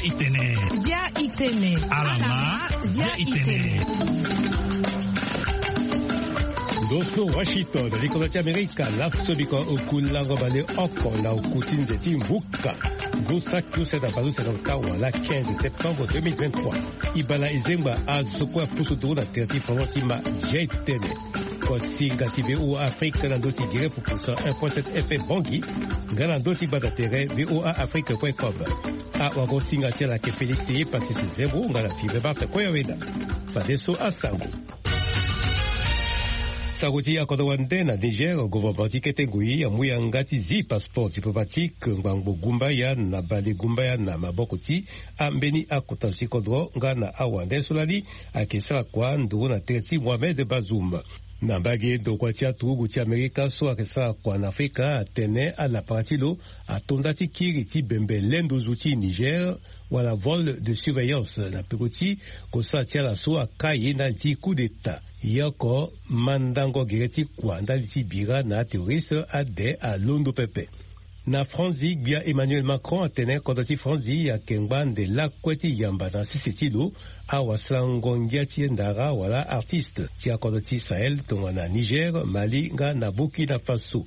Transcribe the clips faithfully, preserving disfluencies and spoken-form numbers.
Itene. Bia itene. Alama. Bia itene. Ndo so Washington, likonda ti Amerika, laso biko oku lango baleoko na oku ti nze ti mbuka. Ngu saki use na baleuse na ota wala quinze septembre deux mille vingt-trois. Ibala ezengba azo kue apusu nduru na tere ti fondement ti ma. Bia itene. Kosinga ti V O A Afrique na ndö ti gere pupusa un point sept F M Bangui, nga na ndö ti gbata tere V O A Afrique point com. Awagosinga ti ala ayeke Félix Passy Zembro nga na Sylvain Martin Koyaweda. Fadeso asango. Sango ti akodro wande na Niger, gouvernement ti kete ngoi amu yanga ti zi passeport diplomatique ngbangbo gumbaya na bale gumbaya na maboko ti ambeni akota zo ti kodro nga na awande so lani ayeke sara kua nduru na tere ti Mohamed Bazoum. Na mbage ndokua ti aturugu ti Amerika so ayeke sara kua na Afrika atene alapara ti lo ato nda ti kiri ti bembe le nduzu ti Niger wala vol de surveillance na peko ti kosara ti ala so akai ndali ti coup d'état. Ye oko mandango gere ti kua ndali ti bira na aterroriste ade alondo pepe. Na Franzi, gbia Emmanuel Macron atene kodro ti Franzi ayeke ngba nde lakue ti yamba na sese ti lo awasarango ngia ti ndara wala artiste ti akodro ti Sahel tongana Niger, Mali nga na Burkina Faso.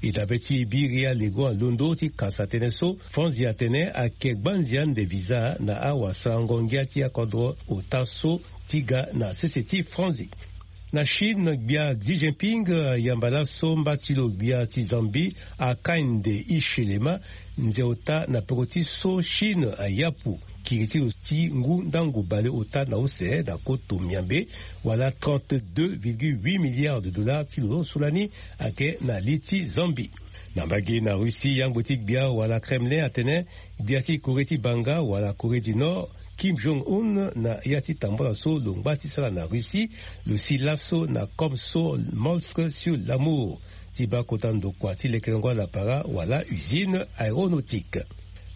E dabe ti biri alego alondo ti kasa tënë so, Franzi atene ayeke gbanzia nde visa na awasarango ngia ti akodro ota so ti ga na sese ti Franzi. Na Chine, gbia Xi Jinping ayamba laso mba ti lo gbia ti Zambie, Hakainde Hichilema, nze ota na peko ti so Chine ayapu kiri ti lo ti ngu ndango baleota na use na koto miambe, wala trente-deux virgule huit milliards de dollars ti lo so lani ayeke na li ti Zambie. Na mbage na Russie, yangbo ti gbia wala Kremlin atene gbia ti Corée ti banga wala Corée du Nord, Kim Jong-un, na ya ti tambula so lo ngba ti sara na Russie, lo si laso na Comme Somolsk sur l'Amur, ti baa kota ndokua ti lekerengo alapara wala usine aéronautique.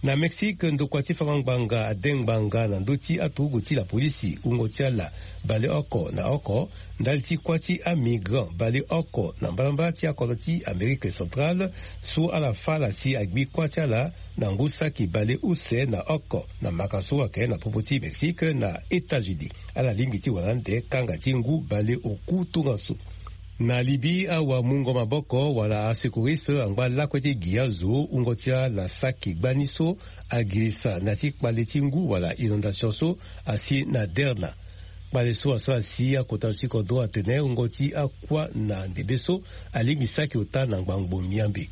Na Mexique, ndokua ti fango ngbanga ade ngbanga na ndö ti aturugu ti lapolisi, wungo ti ala baleoko na oko, ndali ti kuâ ti amigrant baleoko na mbalambala ti akodro ti Amérique centrale, so ala fâ ala si agbi kuâ ti ala na ngu saki baleuse na oko, na maka so ayeke na popo ti Mexique na États-Unis. Ala lingbi ti wara ande kanga ti ngu baleoku tongaso. Na Libye, awamungo maboko wala asecouriste angba lakue ti gi azo, wungo ti ala saki gbani so agirisa na ya ti kpale ti ngu wala inondation so asi na Derna. Kpale so asara si akota zo ti kodro atene wungo ti akuâ na ndembe so alingbi saki ota na ngbangbo miambe.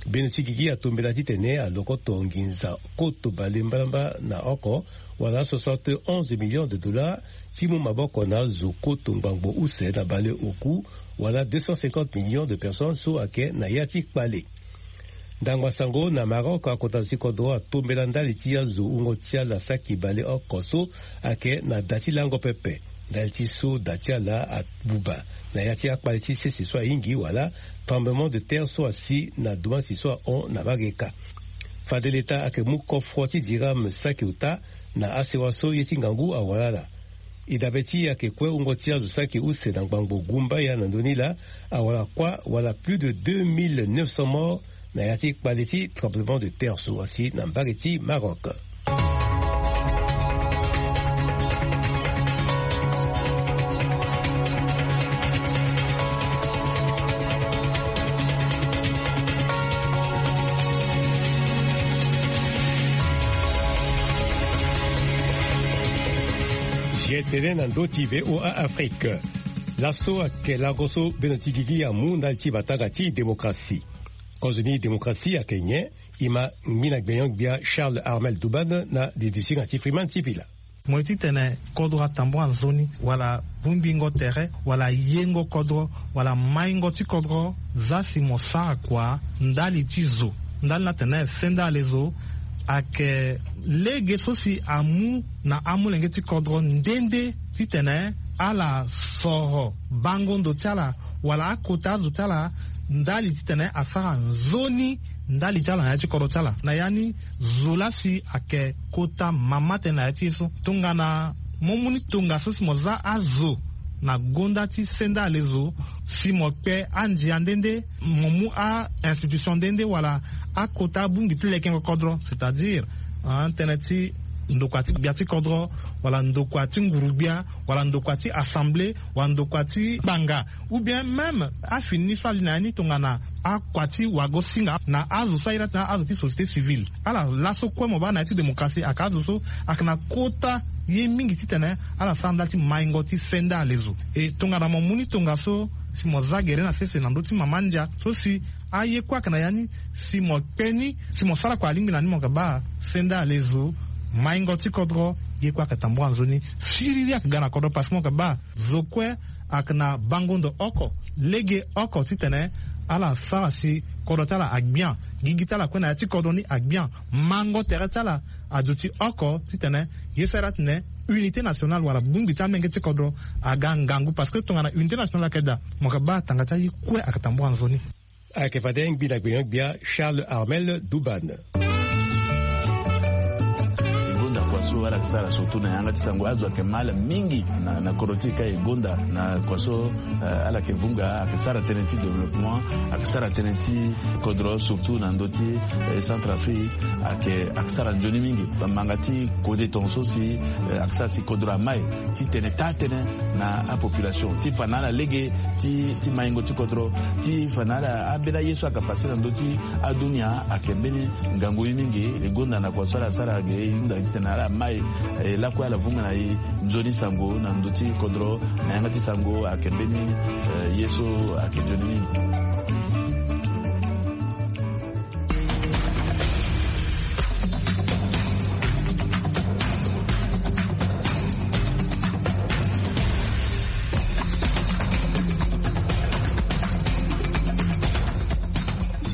Bendo ti gigi atombela titene alokoto nginza koto bale mbalamba na oko, wala soixante et onze millions de dollars, ti mu maboko na azo koto ngbangbo use na baleoku, wala deux cent cinquante millions de personnes so ayeke na ya ti kpale. Ndangba sango na Maroc, akota zo ti kodro atombela ndali ti azo wungo ti ala saki baleoko so ayeke na da ti lango pepe, ndali ti so da ti ala abuba na ya ti akpale ti sese so ahingi wala tremblement de terre so asi na domasi so ahon na Mareka. Fade leta ayeke mu kofro ti dirham saki ota na asewa so ye ti ngangu awara ala. E dabe ti e ayeke kue wungo ti azo saki use na ngbangbo gumbaya na ndö ni laa awara kuâ wala plus de deux mille neuf cents morts na ya ti kpale ti tremblement de terre so asi na mbage ti Maroc. Zi tene na ndö ti V O A Afrique. Laso ayeke lango so bendo ti gigi amu ndali ti matanga ti démocratie. Kozo ni démocratie ayeke nyen? E ma ngbina gbenyo-gbia Charles Armel Douban na didisinga ti Freeman Sipila. Mo ye titene kodro atambula nzoni wala bongbingo tere wala yengo kodro wala maingo ti kodro, za si mo sara kua ndali ti zo, ndali ni atene sendale zo ayeke lege so si amu na amolenge ti kodro nde nde titene ala soro bango ndo ti ala wala akota azo ti ala ndali titene asara nzoni ndali ti ala na ya ti kodro ti ala. Na ya ni, zo laa si ayeke kota mama tënë na ya ti ye so. Tongana mo mu ni tongaso si mo za azo na gonda ti sendale zo, si mo kpe andia nde nde, mo mu a-institution nde nde wala akota abongbi ti lekengo kodro, c'est-à-dire, ah, tënë ti ndokua ti gbia ti kodro, wala ndokua ti nguru-gbia, wala ndokua ti assemblée, wala ndokua ti kpanga, ou bien même afini so ali na ya ni tongana akua ti wagosinga na azo so aye ni atene azo ti société civile. Ala laso kue mo baa na ya ti démocratie ayeke azo so ayeke na kota ye mingi titene ala sara ndali ti maingo ti senda alezo. E tongana mo mu ni tongaso, si mo za gere na sese na ndö ti mama ndia so si aye kue ayeke na ya ni, si mo kpe ni, si mo sara kua alingbi na ni, mo yeke baa senda alezo, maingo ti kodro, ye kue ayeke tambula nzoni. Siriri ayeke ga na kodro parce que mo yeke baa zo kue ayeke na bango ndo oko, lege oko titene ala sara si kodro ti ala agbia, gigi ti ala kue na ya ti kodro ni agbia, mango tere ti ala aduti oko titene ye sara titene unité nationale wala bongbi ti amenge ti kodro aga ngangu, parce que tongana unité nationale ayeke daa, mo yeke baa tanga ti aye kue ayeke tambula nzoni. Ayeke fade ngbi na gbenyo-gbia Charles Armel Duban. E gonda kua so ala yeke sara surtout na yanga ti sango, azo ayeke ma ala mingi na, na kodro ti e ka e gonda na kua so, eh, ala yeke vunga, ayeke sara tënë ti développement, ayeke sara tënë ti kodro surtout na ndö ti, eh, Centrafrique, ayeke, ayeke sara nzoni mingi. Bamanga ti kode tongaso si, eh, ayeke sara si kodro amai titene taa tënë na apopulation ti fa na ala lege ti, ti maingo ti kodro, ti fa na ala ambeni aye so ayeke pase na ndö ti adunia ayeke mbeni ngangu ye mingi. E gonda na kua so ala sara ge e hunda titene ala mai, eh, lakue ala vunga na e nzoni sango na ndö ti kodro na yanga ti sango ayeke mbeni, eh, ye so ayeke nzoni mingi.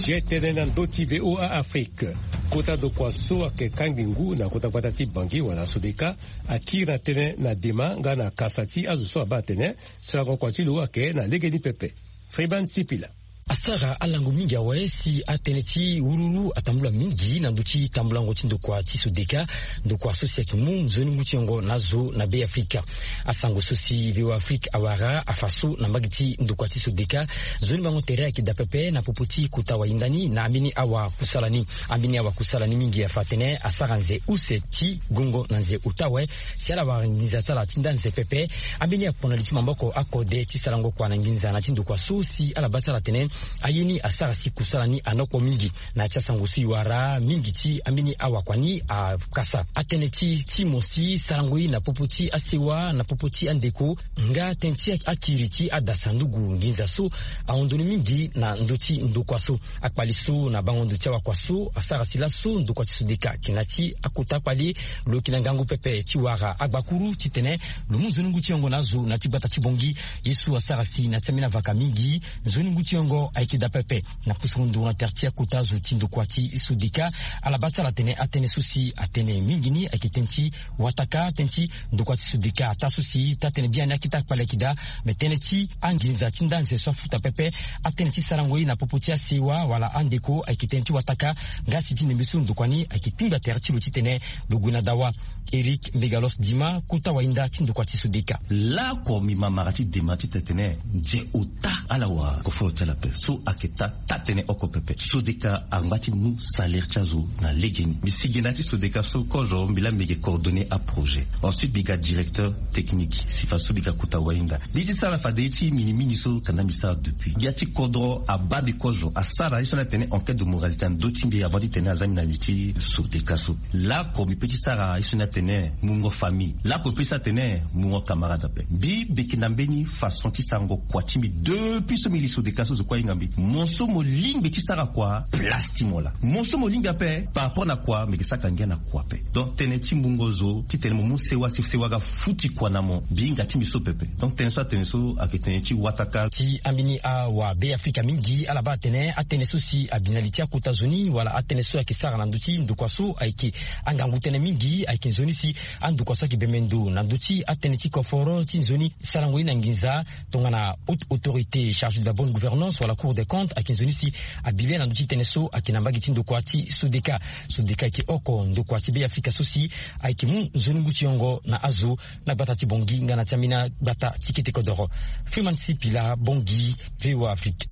Zie tënë na ndö ti V O A Afrique. Kota ndokua so ayeke kangbi ngu na kota gbata ti Bangui wala Sodeka akiri na tënë na dema nga na kasa ti azo so abaa atene sarango kua ti lo ayeke na legeni pepe. Freeman Sipila. Asara alango mingi awe si atënë ti wururu atambula mingi na ndö ti tambulango ti ndokua ti Sodeka, ndokua so si ayeke mu nzoni ngu ti yongo na azo na Be Afrika. Asango so si V O A Afrique awara afa so na mbage ti ndokua ti Sodeka, nzoni bango tere ayeke daa pepe na popo ti kota wahinda ni na ambeni awa kusala ni. Ambeni awa kusala ni mingi afa atene asara nze use ti gongo na nze ota awe, si ala wara nginza ti ala ti nda nze pepe. Ambeni akpo na li ti maboko akode ti sarango kua na nginza na ti ndokua so si ala baa ti ala atene aye ni asara si kusala ni anokpo mingi. Na ya ti asango so e wara mingi ti ambeni awakua ni akasa atënë ti, ti mo si sarango ye na popo ti asewa, na popo ti andeko, nga tënë ti akiri ti adasandugu nginza so ahon ndoni mingi na ndö ti ndokua so. Akpali so na bango ndo ti awakua so asara si laso ndokua ti Sodeka ayeke na ya ti akota akpali. Lo yeke na ngangu pepe ti wara agbakuru titene lo mu nzoni ngu ti yongo na azo na ya ti gbata ti Bangui. Ye so asara si na ya ti ambeni avaka mingi, nzoni ngu ti yongo ayeke daa pepe. Na kusukunduru na tere ti akota zo ti ndokua ti Sodeka, ala baa ti ala atene atënë so si atene mingi ni ayeke tënë ti wataka, tënë ti ndokua ti Sodeka ataa so si taa tënë biani akita akpali ayeke daa. Me tënë ti anginza ti nda nze so afuta pepe, atënë ti sarango ye na popo ti asewa wala andeko ayeke tënë ti wataka. Nga si ti ndembe so ndokua ni ayeke kpingba tere ti lo titene lo gue na dawa. Eric Megalos Dima, kota wahinda ti ndokua ti Sodeka. Laoko mbi ma mara ti dema ti tene tene nze ota ala wara koforo ti ala ape so ayeke taa taa tënë oko pepe. Sodeka angba ti mu salaire ti azo na legeni. Mbi sigi na ya ti Sodeka so kozo mbi laa mbi yeke coordonner aprojet. Ensuite mbi ga directeur technique si faso mbi ga kota wahinda. Mbi ye ti sara fade ye ti minimini so kanda mbi sara depuis. Gbia ti kodro abaa mbi kozo asara ye so ni atene enquête de moralité na ndö ti mbi avant ti tene aza mbi na mbi ti Sodeka so. Laoko mbi peut ti sara ye so ni atene mungo famille. Laoko mbi peut ti sara atene mungo camarade ape. Mbi mbi yeke na mbeni façon ti sarango kua ti mbi depuis so mbi li Sodeka so zo kue ahinga mbi. Mo so mo lingbi ti sara kua, place ti mo laa. Mo so mo lingbi ape par rapport na kua, mbi yeke saka ngia na kua ape. Donc tënë ti mungo zo titene mo mu sewa si sewa aga futi kua na mo, mbi hinga ti mbi so pepe. Donc tënë so atene so ayeke tënë ti wataka. Ti ambeni awa Be Afrika mingi ala baa atene atënë so si abi na li ti akota zo ni wala atënë so ayeke sara na ndö ti ndokua so ayeke angangu tënë mingi, ayeke nzoni si andokua so ayeke bembe ndo na ndö ti atënë ti koforo ti nzoni sarango ye na nginza tongana haute autorité chargée de la bonne gouvernance wala Cour des comptes ayeke nzoni si abi le na ndö ti tënë so ayeke na mbage ti ndokua ti Sodeka. Sodeka ayeke oko ndokua ti Be Afrika so si ayeke mu nzoni ngu ti yongo na azo na gbata ti Bangui nga na ti ambeni agbata ti kete kodoro. Freeman Sipila, Bangui, V O A Afrique.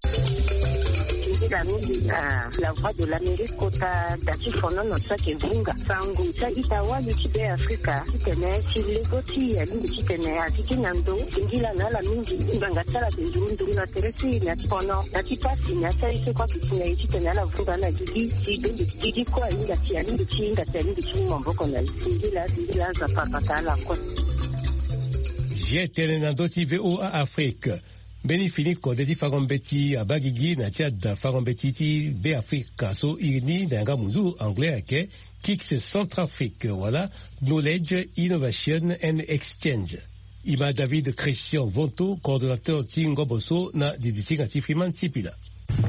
Mingi na la Voix de l'Amérique kota da ti fonono so ayeke vunga sango ti a-ita wali ti Be Afrika titene ti lego ti alingbi titene atiki na ndo singila na ala mingi. Ngbanga ti ala ayeke nduru nduru na tere ti e na ti fono na ti pasi na ya ti aye so kue ayeke si na e titene ala vunga na gigi ti bende gigi kue ahinga si alingbi ti hinga si alingbi ti mu maboko na e. Singila singila aza papa ka ala kue. Zi tënë na ndö ti V O A Afrique. Mbeni fini kode ti fango mbeti abaa gigi na ti ada fango mbeti ti Be Afrika so iri ni na yanga munzu anglais ayeke KICS Centrafrique wala Knowledge Innovation and Exchange. E ma David Christian Vonto, coordonnateur ti ngobo so na didi ti hinga ti Freeman Sipila.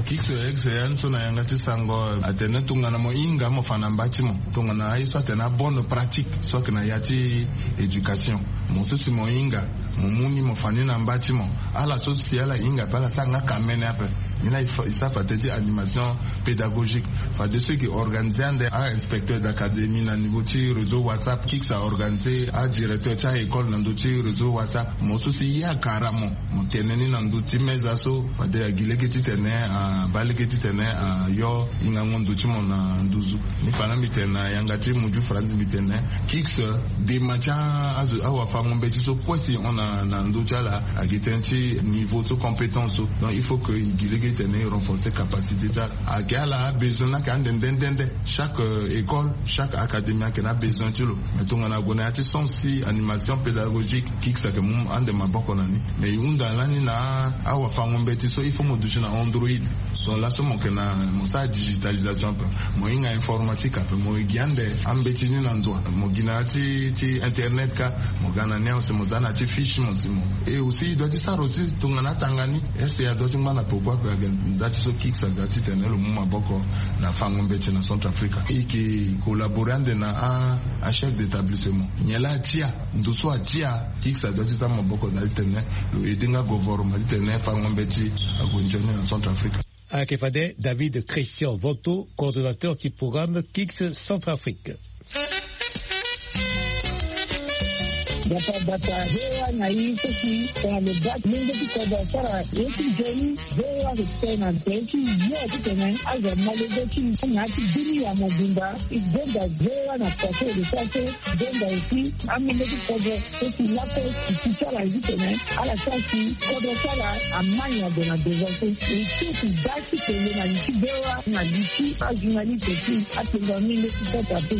KICS ya ni so na yanga ti sango atene tongana mo hinga mo fa na mba ti mo, tongana aye so atene abonne pratique so ayeke na ya ti éducation. Mo so si mo hinga, mo mu ni mo fa ni na mba ti mo. Ala so si ala hinga ape ala sara nga kamene ape. Ni laa e fa- e sara fade ti animation pédagogique. Fade so e ke organiser ande a-inspecteur d'académie na niveau ti réseau WhatsApp. KICS a organiser adirecteur ti a-école na ndö ti réseau WhatsApp. Mo so si ye akara mo, mo tene ni na ndö ti meza so fade agi lege titene abaa lege titene ayo hingango ndo ti mo na nduzu. Ni fa na mbi tene na yanga ti muju faranzi mbi tene KICS dema ti a- azo- awafango mbeti so kue si e hon na na ndö ti ala ayeke tënë ti niveau so compétence so. Donc il faut que e gi lege titene e renforcer capacité ti ala. Ayeke ala abesoin ni ayeke ande nde nde nde. Chaque euh, école, chaque académie ayeke na abesoin ti lo. Mais tongana ague na ya ti sens ti animation pédagogique, KICS ayeke mu ande maboko na ni. Mais e hunda lani na awafango mbeti so il faut mo duti na Android. Donc laso mo yeke na mo sara digitalisation ape, mo hinga informatique ape, mo gi ande ambeti ni na ndo, mo gi na ya ti ti internet kâ, mo ga na ni awe si mo za na ya ti fiche mo si mo. Et aussi e doit ti sara aussi tongana atanga ni, R C A doit ti ngba na peko ape. Ayeke nda ti so KICS aga titene lo mu maboko na fango mbeti na Centrafrique. E yeke collaborer ande na a- achef d'établissement. Nyen laa atia, ndo so atia, KICS adoit ti za maboko na titene lo aider nga gouvernement titene fango mbeti ague nzoni na Centrafrique. Ayeke fade David Christian Vonto, coordonnateur ti programme KICS Centrafrique. Bata bata, V O A na e so si tongana lo baa lenge ti kodro asara ye ti nzoni. V O A ayeke tene na tere ti yo titene azo ama lege ti na ya ti dunia mobimba. E gonda V O A na kua so e lo sara so, e gonda aussi amolenge ti kodro so si lakue e si ti ala ye titene ala sara si kodro ti ala ama nyen ague na devant so. E ti e si baa ti kele na li ti V O A na li ti ajournaliste ti atonga amolenge ti sasa pe.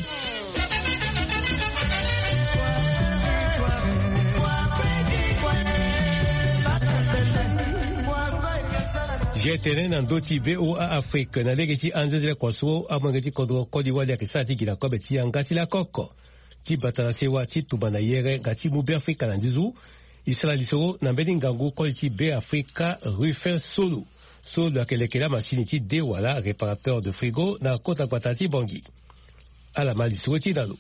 Zi tene na ndö ti V O A Afrique na lege ti anzenze lakua so amolenge ti kodro koli wali ayeke sara ti gi na kobe ti yanga ti lakoko. Ti bata na sewa ti tumba na yere nga ti mu Be Afrika na nduzu. E sara lisoro na mbeni ngangu koli ti Be Afrika Rufin Solo so lo yeke leke lamasini ti de wala réparateur de frigo na kota gbata ti Bangui. Ala ma lisoro ti na lo.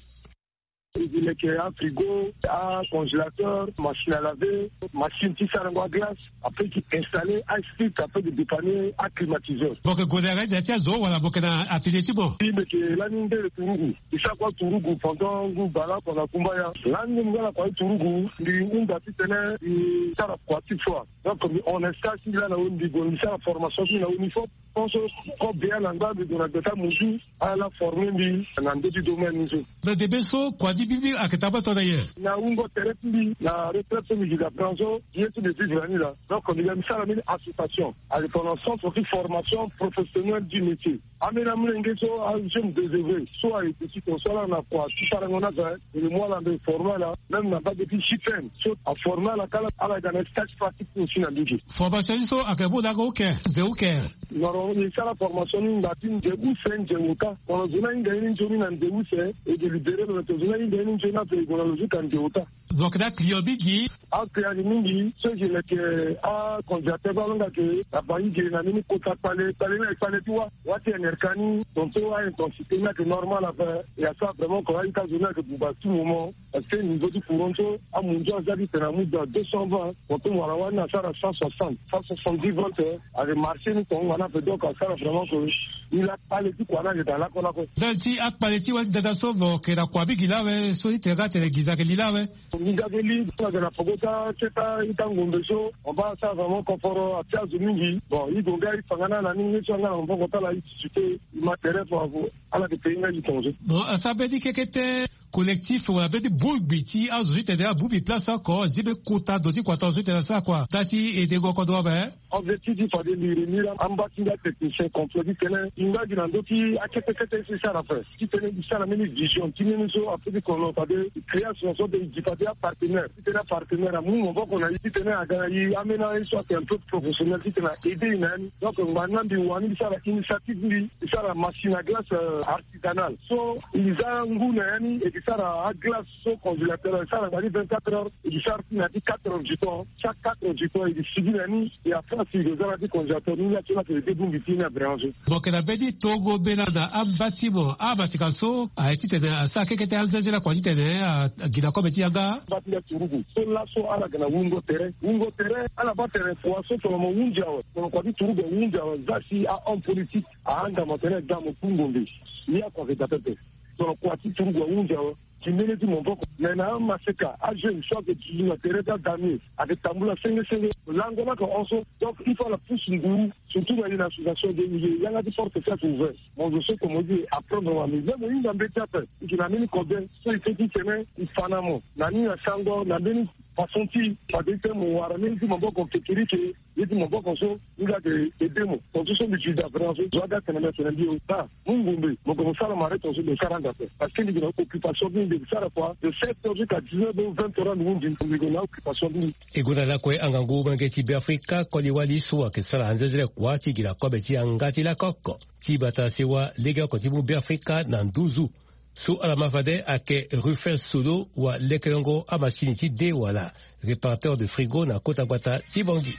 E leke afrigo, acongélateur, machine à laver, machine ti sarango aglace. Après ti installer asplit, après ti dépanner aclimatiseur. Boke gode aga ida ti azo wala boke na atelier ti mo? Ti meke lani ndele turugu. E sara kua turugu pendant ngu bala kua na kumbaya. Lani ngu nga na kua ti turugu mbi hunda titene e sara kua ti foi. Donc mbi hon na stage ti mbi laa na weni mbi gue mbi sara formation ti mbi na weni fop. Pense kobea na ngba mbi gue na gbeta muzu. Ala forme mbi na ndö ti domaine ni so. Na debe so kua ti mbi ni ayeke tabata na nyen? Na wungo tere ti mbi na retraite so mbi gi na plan so ye so mbi vivre na ni laa. Donc mbi ga mbi sara mbeni association ayeke pendant centre ti formation professionnelle du métier. Ambeni amolenge so ajeune désœuvré so ayeke ti ton so ala na kua ti sarango ni aza. Mbi mu ala mbi forme ala même na mbage ti J P M so aforme ala kâ. Ala ga na stage pratique ti aussi na mbage. Formation ni so ayeke mu na oko uke, nze uke? Noro e sara formation ni ngba ti nze use nze ota. Tongana zo ni ahinga ye ni nzoni na nze use e délibéré lo na tongana zo ni ahinga ye ni nzoni ape e gue na lo zo ka nze ota. Donc na client mingi. Aclient ni mingi so e yeke leke acongélateur baa lo nga yeke na bangi ge na mbeni kota kpale kpale ni ayeke kpale ti wâ. Wâ ti N R K ni tongaso a-intensité ni ayeke normal ape. E asara vraiment ko a-ita zo ni ayeke buba tout moment. Parce que niveau ti courant so amunzu aza ti tene amu dans deux cent vingt. Tongaso mo wara wâ ni asara cent soixante, cent soixante-dix volts. Ayeke marché ni tonga na ape donc asara vraiment ko. Ni la kpale ti kua ni ayeke daa lakue lakue. Ndali ti akpale ti wa ti dada so mo yeke na kua mingi lawe so ti tene nga atene nginza ayeke li lawe. Nginza ayeke li so ayeke na poko ti aketa ita ngombe so mo baa asara vraiment koforo atia zo mingi. Bon, i gue nga i fa nga na ala ni nge so anga na maboko ti ala i titi te. I ma tere fo. Ala yeke pei nga i tonga so. Bon, asara mbeni kekete collectif wala mbeni bongbi ti azo so ti tene abongbi place oko zi mbeni kota ndo ti kua tonga so ti tene asara kua ndali ti edengo kodro ape. Objectif ti fade liri ni la amba ti nga technicien complet ti tene i nga gi na ndö ti akete kete so i sara ape ti tene i sara mbeni vision ti mbeni so ape ti kono fade i création so de i gi fade apartenaire ti tene apartenaire amu maboko na i ti tene aga na i ambeni aye so ayeke un peu professionnel ti tene a aide i na ya ni. Donc ngbanga mbi wani mbi sara initiative mbi mbi sara machine à glace artisanale so i za ngu na ya ni e ke sara aglace so congélateur e sara na ni vingt-quatre heures e ke sara ti na ya ti quatre heures du temps. Chaque quatre heures du temps e ke sigi na ni. E après si e ke za na ya ti congélateur ni la so la ke e debongbi ti ni na bréan so. Mo yeke na mbeni tongo mbela na amba ti mo amasika so aye titene asara kekete anzenzela kua titene agila kobe ti yanga. Amba ti nda turugu so laso ala yeke na wungo tere wungo tere ala baa tere kua so tongana mo hunzi awe tongana kua ti turugu ahunzi awe za si ahomme politique ahanga mo tere ga mo ku ngombe. Ni akua yeke daa pepe. Tongana kua ti turugu ahunzi awe ti mbeni ti maboko me na amaseka ajeune so ayeke duzu na tere ti adamie ayeke tambula senge senge lango ni ayeke hon so. Donc il faut ala pusu nguru surtout na ye na association de ye yanga ti forte si ayeke ouvert. Mo zo so komo ti e apprendre wa mi me mo hinga mbeti ape. I yeke na mbeni kobe so i feti tene i fa na mo na ni na sango na mbeni façon ti fade ti tene mo wara mbeni ti maboko kekerike. Ye ti maboko so ni ga de ede mo tonso so mbi ti da vraiment so zo aga tene mbi atene mbi o ba mu ngombe mo ga mo sara mare tonso mbi sara anga ape. Parce que mbi gi na occupation ti mbi mbi sara kua de sept heures jusqu'à dix-neuf heures vingt heures anu mbi mbi gi na occupation ti mbi. E gonda lakue angangu molenge ti beafrika koli wali so ayeke sara anzenzele kua ti gi na kobe ti yanga ti lakoko ti bata sewa legeoko ti mu beafrika na nduzu. So ala ma fade ayeke Rufin Solo wa lekelongo amasini ti de wala réparateur de frigo na kota gbata ti Bangui.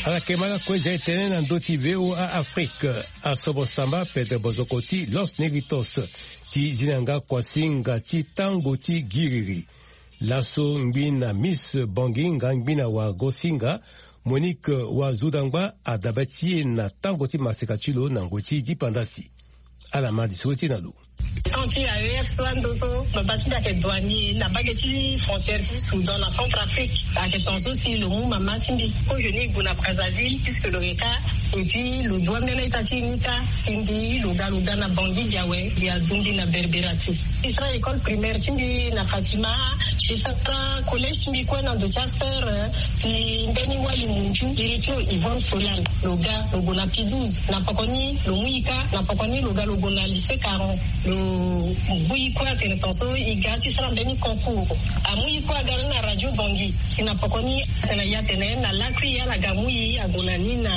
Ala yeke ma lakue zia etene na ndö ti V O A Afrique. Asobo samba pete bozoko ti Los Negritos ti zi na yanga kuasinga ti tango ti giriri. Laso ngbi na Miss Bangui nga ngbi na wa Gosinga Monique wa Zudangba adabe ti e na tango ti maseka ti lo na ngoi ti dipandasi. Ala ma lisoro ti e na lo. Tant ti A E F so ando so lo baa ti mbi ayeke douanier na mbage ti frontière ti Soudan na Centrafrique. Ayeke tonga so si lo mu mama ti mbi ko jeune e gue na Brazzaville puisque lo yeke kâ. Et puis lo dua mbeni a-ita ti e ni kâ. Si mbi lo ga lo ga na Bangui gi awe gi adundi na Berbera ti. Mbi sara école primaire ti mbi na Fatima. Mbi sara collège ti mbi kue na ndo ti asœur ti mbeni wali munju iri ti lo Yvonne Solal. Lo ga lo gue na P douze na poko ni lo mu e kâ na poko ni lo ga lo gue na lycée Caron. Lo bui kue atene tonga so e ga ti sara mbeni concours. Amu e kue aga ni na radio Bangui. Si na poko ni atene e atene na lakui ala ga mu e ague na ni na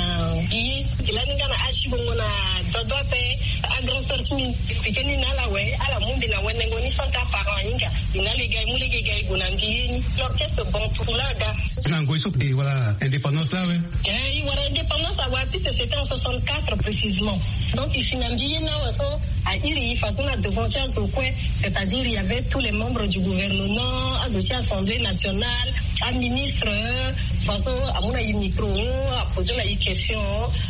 e. E lani nga na asi bongo na dodo ape. Agrand sœur ti mbi expliqué ni na ala awe ala mu mbi na wenengo ni sans que aparent ahinga. E na lege e mu lege e ga e gue na mbi ye ni l'orchestre bon tour la aga. Na ngoi so e wala indépendance la awe. Eh, e wara indépendance awe puisque c'était en soixante-quatre précisément. Donc e si na mbi ye ni awe so a iri e façon na devant ti azo kue. C'est-à-dire il y avait tous les membres du gouvernement, azo ti assemblée nationale, aministre. Façon amu na e micro, aposé na e question,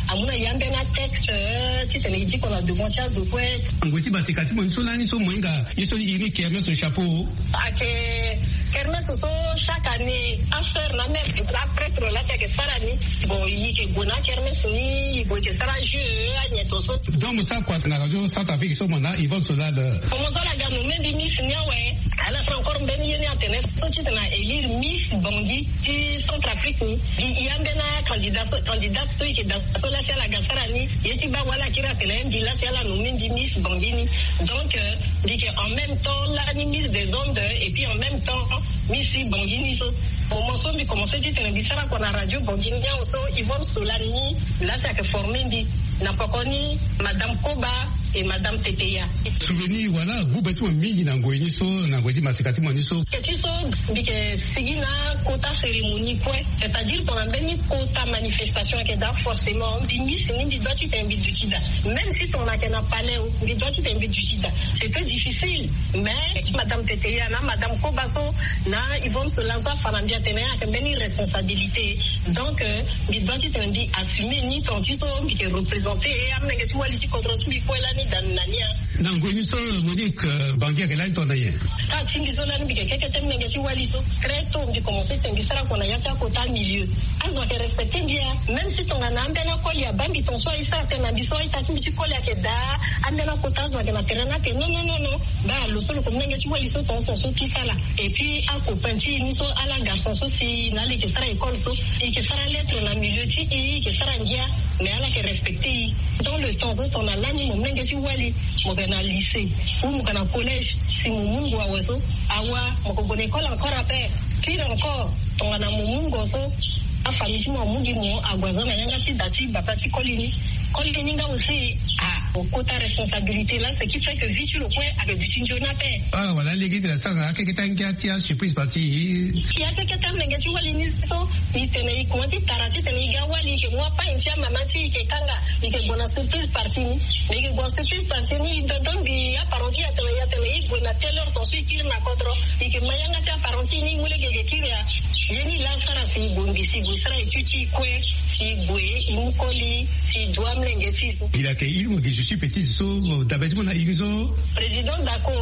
amu na e ambeni atexte ti tene e diko na devant ti azo kue. Ngoi ti basika ti mo ni so lani so mo hinga ye so e iri ni kermesse au chapeau. Ayeke kermesse so chaque année asœur na mère aprêtre la ti ayeke sara ni. Bon e yeke gue na kermesse ni e gue e yeke sara jeu anyen tonso. Donc mo sara kua na radio Centrafrique so mo na Yvonne Solal? Bon mo so ala ga nommé mbi Miss ni awe. Ala sara encore mbeni ye ni atene so ti tena élire Miss Bangui ti Centrafrique ni. Mbi e ambeni acandidat so candidate so e yeke daa so la si ala ga sara ni. Ye ti baa wala akiri atene mbi la si ala nommé mbi Miss Bangui ni. Donc mbi yeke en même temps lani Miss des Andes et puis en même temps Miss Bangui ni so. Moment so mbi commencé ti tene mbi sara kua na radio Bangui ni awe so Yvonne Solal ni la si ayeke formé mbi. Na poko ni madame Koba et madame Teteya. Souvenir wala gube ti mo mingi na ngoi ni so na ngoi ti maseka ti mo ni so? Ke ti Mbi yeke sigi na kota cérémonie kue, c'est-à-dire tongana mbeni kota manifestation ayeke daa, forcément mbi ngisi ni, mbi doit titene mbi duti daa. Même si tongana ayeke na palais o, mbi doit titene mbi duti daa. C'était difficile, mais madame Teteya na madame Koba so na Yvonne Solanzo afa na mbi atene ayeke mbeni responsabilité. Donc mbi doit titene mbi assumer ni tonga ti so mbi yeke représenter amolenge ti wali ti kodro ti mbi kue lani daa na ni. Na ngoi ni so Monique Bangi ayeke lani tongana nyen? Ka ti mbi so lani mbi yeke keke te, mlenge ti wali so très tôt mbi commencer tene mbi sara kua na ya ti akota milieu. Azo ayeke respecter mbi ya, même si tongana ambeni akoli abaa mbi ton so aye sara tene na mbi so aita ti mbi ti koli ayeke daa, ambeni akota azo ayeke na terrain ni ayeke non non non non. Baa lo so lo yeke mlenge ti wali so ton so ton so tout ça là. Et puis acopain ti e ni so ala garçon so si na ala yeke sara école so, e yeke sara lettre na milieu ti e, e yeke sara ngia. Mais ala yeke respecter e. Dans le temps so tongana lani mo mlenge ti wali, mo yeke na lycée ou mo yeke na collège, si mo mu ngu awe so, awa mo yeke gue na école encore ape. Pire encore, tongana mo mu ngo so, afamille ti mo amu gi mo ague aza na yanga ti da ti bata ti koli ni. Koli ni nga aussi, ah, mo kota responsabilité là, ce qui fait que vie ti lo kue ayeke duti nzoni ape. Ah, wala lege ti la sara akeke ti angia ti asurprise parti. Ya keke ti amlenge ti wali ni so, e tene e kuma ti tara titene e ga wali, e yeke mu apagne ti amama ti e, e yeke kanga, e yeke gue na surprise party ni. E yeke gue na surprise party ni, e dodo mbi aparent ti e atene, e atene e gue na telle heure ton so e kiri na kodro. E yeke ma yanga ti aparent ti e ni, e mu lege e yeke kiri ya. Ye ni laa asara si e gue, mbi si e gue sara étude ti e kue, si e gue e mu koli, si e du amolenge ti e so. Il a accueilli mo gi je suis petit so, dabe ti mo na iri so. Président Dako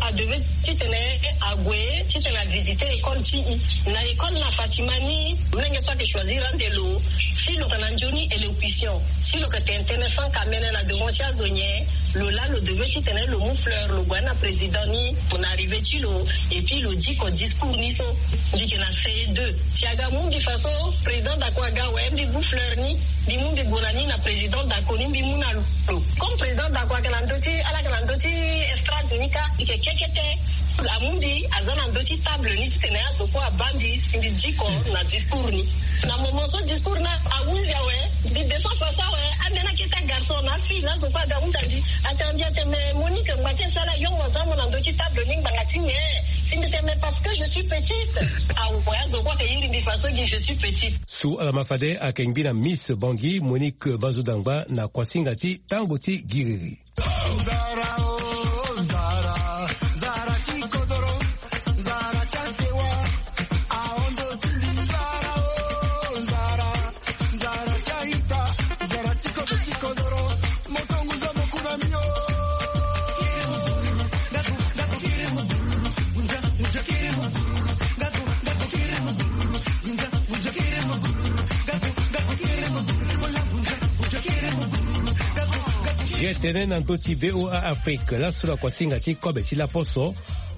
adevait titene ague titene avisiter école ti e. Na école na Fatima ni, molenge so ayeke choisir ande lo. Si lo yeke na nzoni élocution, si lo yeke tene tënë sans kamene na devant ti azo nyen, lo laa lo devait titene lo mu fleur lo gue na président ni na arrivée ti lo. Et puis lo diko discours ni so. Mbi yeke na C E deux. Si aga mu mbi fa so président Dako aga awe, mbi mu fleur ni, mbi mu mbi gue na ni na président Dako ni, mbi mu na lo. Comme président Dako ayeke na ndö ti, ala yeke na ndö ti estrade ni kâ, mbi yeke keke te. Amu mbi aza na ndö ti table ni titene azo kue abaa mbi si mbi diko na discours ni. Na moment so discours ni ahunzi awe, mbi descend face awe, ambeni akete agarçon na afille na azo kue aga ahunda mbi. Atene mbi atene mais Monique, ngba ti e so ala yongo aza mo na ndö ti table ni ngbanga ti nyen? Si mbi tene mais parce que je suis petite. Awe, azo kue ayeke iri mbi fa so gi je suis petite. So ala ma fade ayeke ngbi na Miss Bangui, Monique Vazodangba, na kuasinga ti tango ti giriri. Ye tene na ndö ti V O A Afrique, laso na kuasinga ti kobe ti laposo,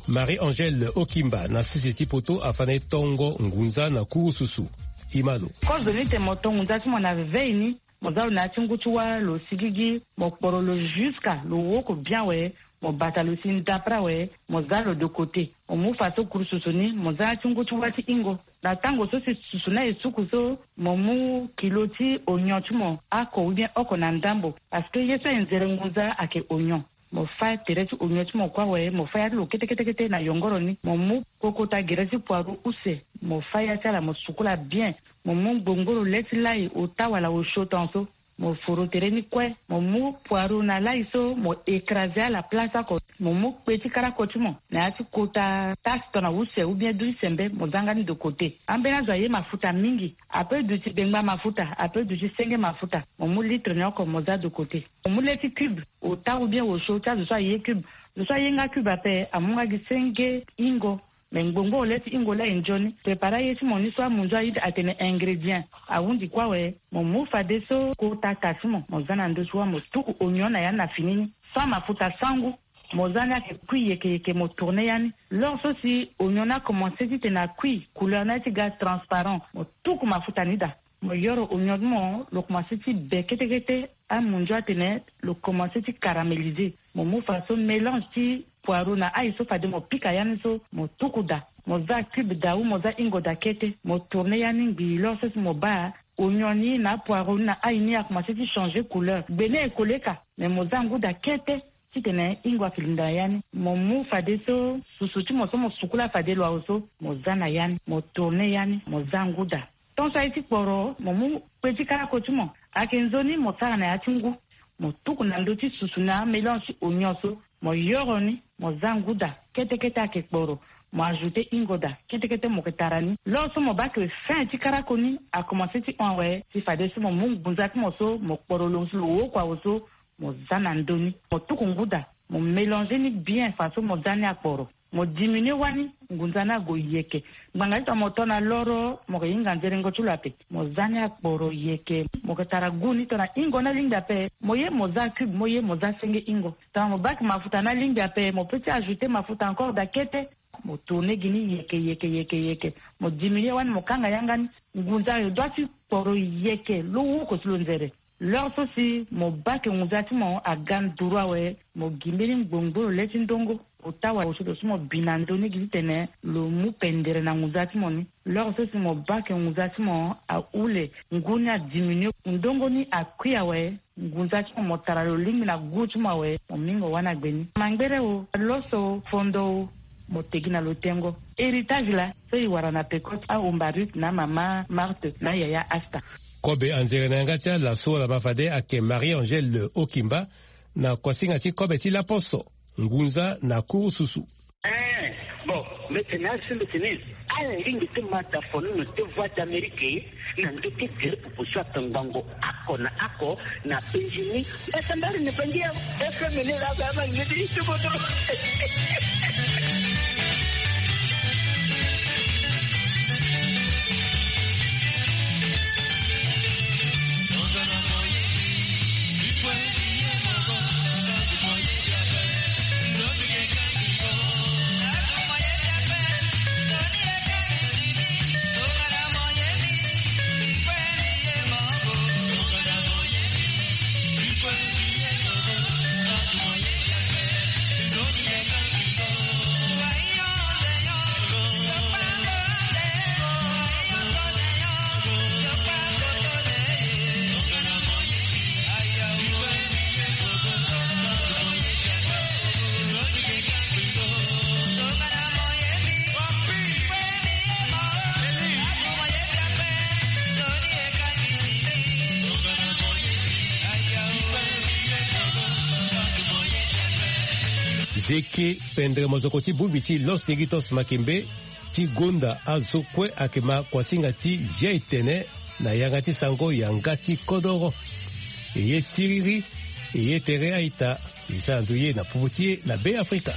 Marie-Angèle Okimba na sese ti poto afa na e tongo ngunza na kurususu. Imalo. Kozo ni tene mo to ngunza ti mo na vevei ni, mo za lo na ya ti ngu ti wâ, lo sigigi, mo kporo lo jusqu'à lo woko bien awe, mo bata lo si ndapre awe, mo za lo de côté. Mo mu fa so kurususu ni, mo za ya ti ngu ti wâ ti hingo. Na tango so si susu ni aye suku so, mo mu kilo ti oignon ti mo, ako ou bien oko na ndambo. Parce que ye so aye nzere ngunza ayeke oignon. Mo fâ tere ti oignon ti mo kue awe, mo fâ ya ti lo kete kete kete na yongoro ni. Mo mu kokota gere ti poireau use, mo fâ ya ti ala, mo sukula bien. Mo mu ngbongboro le ti lai, ota wala osio ton so. Mo foro tere ni kue, mo mu poireau na lai so, mo écraser ala place oko. Mo mu kpe ti karako ti mo na ya ti kota tasse ton na use ou bien du ti sembe, mo za nga ni de côté. Ambeni azo aye mafuta mingi, ape duti bengba mafuta, ape duti senge mafuta. Mo mu litre ni oko, mo za de côté. Mo mu le ti cube, ota ou bien osio ti azo so aye cube. Zo so aye nga cube ape, amu nga gi senge hingo. Me ngbongboro le ti hingo laa e nzoni. Préparer aye ti mo ni so amunzu aye atene ingrédient. Ahunzi kue awe, mo mu fadeso kota ka ti mo, mo za na ndö ti wâ, mo tuku oignon na ya ni na fini ni. Sans mafuta, sans goût. Mo za ni ayeke kui yeke yeke, mo tourner ya ni. L'heure so si oignon ni akomanse titene akui, couleur ni aye ti ga transparent, mo tuku mafuta ni daa. Mo yoro oignon ti mo, lo komanse ti be kete kete, amunzu atene lo komanse ti caraméliser. Mo mu fa so mélange ti poireau na ail so fade mo pika ya ni so, mo tuku daa. Mo za cube daa ou mo za hingo daa kete, mo tourner ya ni ngbii, l'heure so si mo baa oignon ni na apoireau ni na ail ni akomanse ti changer couleur. Gbe ni e kole ka, mais mo za ngu daa kete. titene ingo afilinda na ya ni. Mo mu fadeso susu ti mo so mo sukula fade lo awe so, mo za na ya ni, mo tourne ya ni, mo za ngu daa. Tonso aye ti kporo, mo mu kpe ti karako ti mo, ayeke nzoni mo sara na ya ti ngu. Mo tuku na ndö ti susu na amélange ti oignon so, mo yoro ni, mo za ngu daa. Kete kete ayeke kporo, mo ajoute ingo daa. Kete kete mo yeke tara ni. Lors so mo baa ke fin ti karako ni akomanse ti hon awe, si fadeso mo mu ngunza ti mo so mo kporo lo si lo woko awe so, mo za na ndö ni. Mo tuku ngu daa, mo mélanger ni bien faso mo za ni akporo. Mo diminuer wani, ngunza ni ague yeke. Ngbanga ti tongana mo to na loro, mo yeke hinga nzerengo ti lo ape. Mo za ni akporo yeke. Mo yeke tara goût ni tongana ingo ni alingbi ape. Mo ye mo za cube, mo ye mo za senge ingo. Tongana mo baa ke mafuta ni alingbi ape, mo peut ti ajouter mafuta encore daa kete. Mo tourner gi ni yeke, yeke, yeke, yeke. Mo diminuer wani, mo kanga yanga ni. Ngunza ayo doit ti kporo yeke, lo woko si lo nzere. Lors so si mo baa ke ngunza ti mo aga nduru awe, mo gi mbeni ngbongboro le ti ndongo. Ota wala osio so mo bi na ndö ni gi titene lo mu pendere na ngunza ti mo ni. Lors so si mo baa ke ngunza ti mo ahule, ngu ni adiminuer, ndongo ni akui awe, ngunza ti mo, mo tara lo lingbi na goût ti mo awe, mo mingo wani agbe ni. Mangbere o, loso, fondo o, mo te gi na lo tengo. Héritage laa so e wara na peko ti ahomba Ruth na amama Marthe na ayaya Asta. Kobe anzere na yanga ti ala so ala ma fade ayeke Marie Angèle Okimba, na kuasinga ti kobe ti laposo, ngunza na kurususu. Eh, bon, mbi tene asi mbi tene, ala lingbi ti ma da fo ni na te Voix d'Amérique, na ndö ti gere popo so aka ngbongo oko na oko, na penzi ni. Esa mbari ni penzi ya, esa mene la ba ma ni ti ti bodo. Zeke pendre mozoko ti bongbi ti Los Negritos Makembe ti gonda azo kue ayeke ma kuasinga ti zia etene na yanga ti sango yanga ti kodoro. E ye siriri, e ye tere a-ita, e sara nzoni ye na popo ti e na Be Afrika.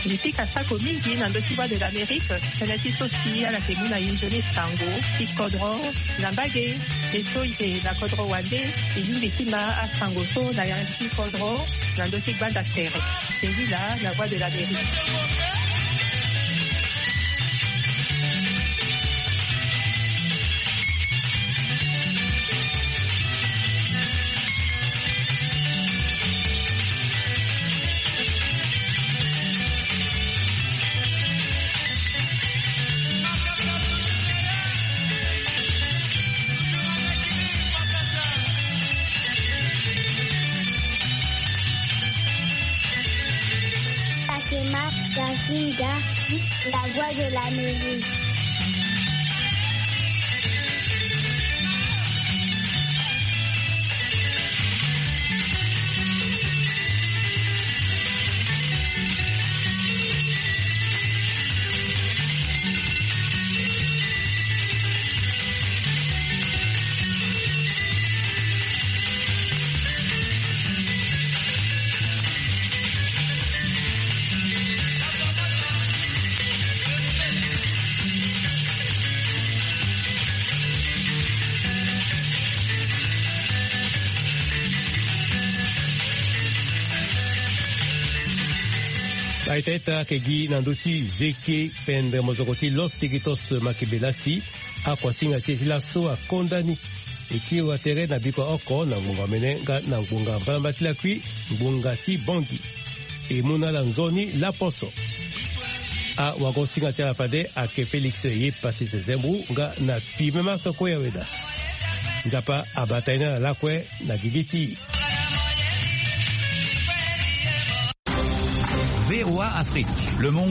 Mbi pika sako mingi na ndö ti Voix de l'Amérique, tënë ti so si ala yeke mu na e nzoni sango ti kodro na mbage. E so e yeke na kodro wande, e lingbi ti ma asango so na yanga ti kodro na ndö ti gbanda tere. Singila na Voix de l'Amérique. Fatima Kasinga, la voix de l'Amérique. Aita ita ayeke gi na ndö ti Zeke pendre mozoko ti Los Negritos Makembe laa si akuasinga ti e ti laso akonda ni. E kiri wa tere na bikua oko na ngbonga mene nga na ngbonga mbalamba ti lakui, ngbonga ti bongi. E mu na ala nzoni laposo. Awagosinga ti ala fade ake Félix ye pasi sezembru nga na pime maso kue ya weda. Nzapa abata ye na ala lakue na gigi ti. V O A Afrique, le monde.